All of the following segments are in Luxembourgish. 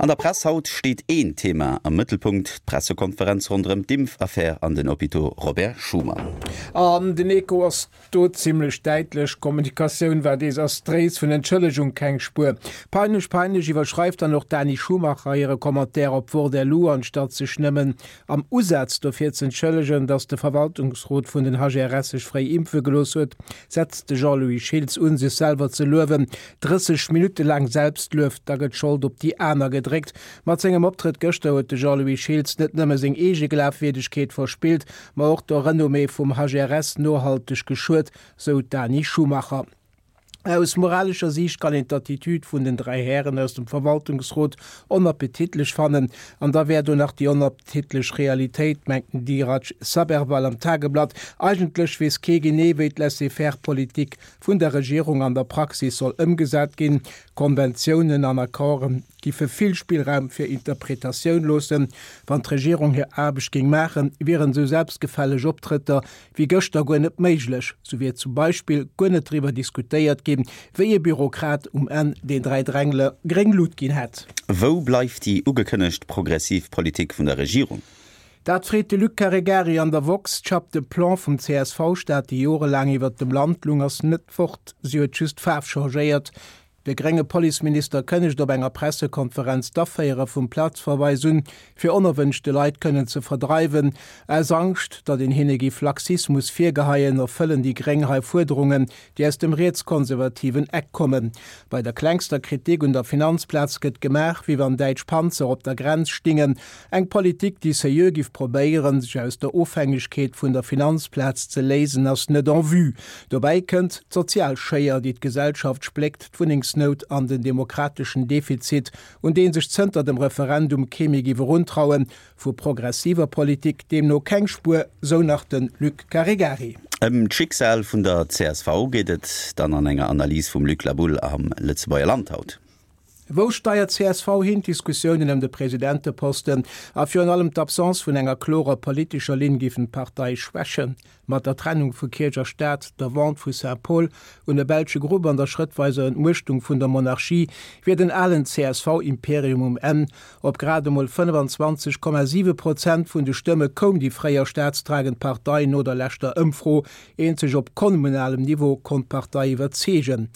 An der Press haut steet een Thema am Mëttelpunkt, d'Pressekonferenz ronderëm d'Impfaffär an den Hôpitaux Robert Schuman. An den Echo ass do zimmlech däitlech, D'Kommunikatioun war desastréis, vun Entschëllegung keng Spuer. Peinlech, peinlech, iwwerschreift dann och d'Dani Schumacher hire Commentaire op Wort.lu, anstatt sech nëmmen am Usaz dofir z'entschëllegen, datt de Verwaltungsrot vun den HRS sech fréi impfe gelooss huet, setzt de Jean-Louis Schiltz un, sech selwer ze luewen. 30 Minutte laang Selbstluef, da gëtt d'Schold op déi aner gedréckt. Mat sengem Optrëtt gëschter huet de Jean-Louis Schiltz net nëmme seng eege Glafwierdegkeet verspillt, ma och der Renommée vum HRS nohalteg geschuet, sou d'Dani Schumacher. Aus moralescher Siicht kann een d'Attitüd vun den 3 Hären aus dem Verwaltungsrot onappetitlech fannen. An da wär do nach déi onappetitlech Realitéit, mengt den Dheeraj Sabherwal am Tageblatt. Eigentlech weess kee genee, wéi d'Laissez-faire-Politik vun der Regierung an der Praxis soll ëmgesat ginn. Konventiounen an Accorden giffe vill Spillraum fir Interpretatioun loossen. Wann d'Regierung hir Aarbecht géing maachen, wieren esou selbstgefälleg Optrëtter wéi gëschter guer net méiglech. Sou wier zum Beispill guer net driwwer diskutéiert ginn, wéi ee Bürokrat um Enn den 3 Drängler gréng Lut ginn hätt. Wou bleift déi ugekënnegt progressiv Politik vun der Regierung? Dat freet de Luc Caregari an der woxx. D'Chape de plomb vum CSV-Staat, déi jorelaang iwwert dem Land lung, ass net fort, si huet just d'Faarf changéiert. De grénge Policeminister kënnegt op enger Pressekonferenz d'Aféiere vum Platzverweis un, fir onerwënschte Leit kënnen ze verdreiwen. Aus Angscht, datt een hinne giff Laxismus virgeheien, erfëllen déi Gréng hei Fuerderungen, déi aus dem rietskonservativen Eck kommen. Bei der klengster Kritik un der Finanzplaz gëtt gemaach, wéi wann däitsch Panzer op der Grenz stingen. Eng Politik, déi seriö giff probéieren, sech aus der Ofhängegkeet vun der Finanzplaz ze léisen, ass net en vue. Dobäi kënnt d'sozial Schéier, déi d'Gesellschaft spléckt, d'Wunnengsnout an den demokrateschen Defizit, un dee sech zënter dem Referendum kee méi giff eruntrauen. Vu progressiver Politik deemno keng Spuer, sou nach de Luc Caregari. Ëm d'Schicksal vun der csv geet et dann an enger Analys vum Luc Laboulle am Lëtzebuerger Land haut. Wou steiert csv hin? D'Diskussiounen ëm de Presidenteposten a virun allem d'Absence vun enger klorer politescher Linn giffen d'Partei schwächen. Mat der Trennung vu Kierch a Staat, der Vente vu Saint-Paul un e belsche Grupp an der schrëttweiser Entmuechtung vun der Monarchie wier den alen CSV-Imperium um Enn. Op grad emol 25,7 Prozent vun de Stëmme koum déi fréier staatstragend Partei no der leschter Ëmfro. Eenzeg op kommunalem Niveau konnt d'Partei iwwerzeegen.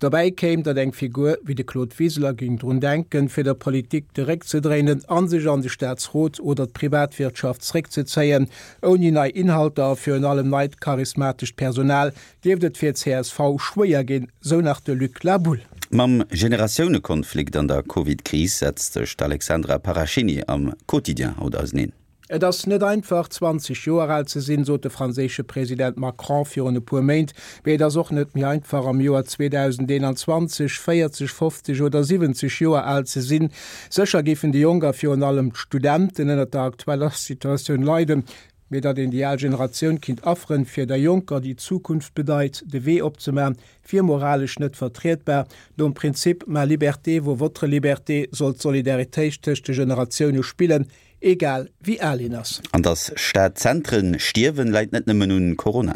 Dobäi kéim, datt eng Figur wéi de Claude Wiseler géing drun denken, fir der Politik de Réck ze dréinen a sech an de Staatsrot oder d'Privatwirtschaft zréckzezéien. Ouni nei Inhalter a virun allem neit charismatescht Personal dierft et fir csv schwéier ginn, sou nach de Luc Laboulle. Mam Generatiounekonflikt an der Covid-Kris setzt sech d'Alexandra Parachini am Quotidien haut auseneen. Et ass net einfach, 20 Joer al ze sinn, sot de franséische President Macron virun e puer Méint. Mee et ass och net méi einfach, am Joer 2021 40, 50 oder 70 Joer al ze sinn. Sécher géifen déi Jonk a virun allem d'Studenten ënnert der aktueller Situatioun leiden. Mee datt een déi al Generatioun kinnt afferen, fir der Jonker, déi d'Zukunft bedeit, de Wee opzemaachen, wier moralesch net vertrietbar. Nom Prinzip ma liberté vaut votre liberté soll d'Solidaritéit tëscht de Generatioune spillen. Egal wéi al een ass. An dass Stadzentren stierwen, läit net nëmmen un Corona.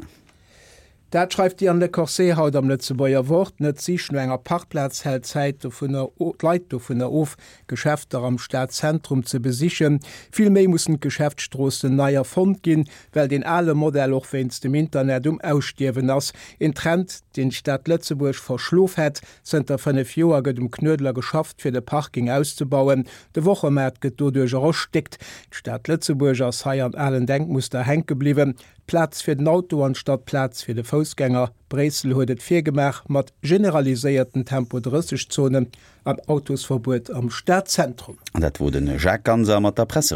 Dat schreift d'Diane Lecorset haut am Lëtzebuerger Wort. Net d'Sich no enger Parkplaz hält d'Zäit dovunner d'Leit dovunner of, Geschäfter am Stadzentrum ze besichen. Vill méi mussen d'Geschäftsstroossen nei erfonnt ginn, well deen ale Modell och wéinst dem Internet um Ausstierwen ass. Een Trend, deen d'Stad Lëtzebuerg verschlof hätt. Zënter 5 Joer gëtt um Knuedler geschafft, fir de Parking auszebauen. De Wochemaart gëtt doduercher erstéckt. D'Stad Lëtzebuerg ass hei an alen Denkmuster hänke bliwwen. Plaz fir den Auto anstatt Plaz fir de Foussgänger. Bréissel huet et virgemaach mat generaliséierten Tempo 30 Zonen an Autosverbuet am Stadzentrum. An dat wor de Jacques Ganser mat der Presserevue.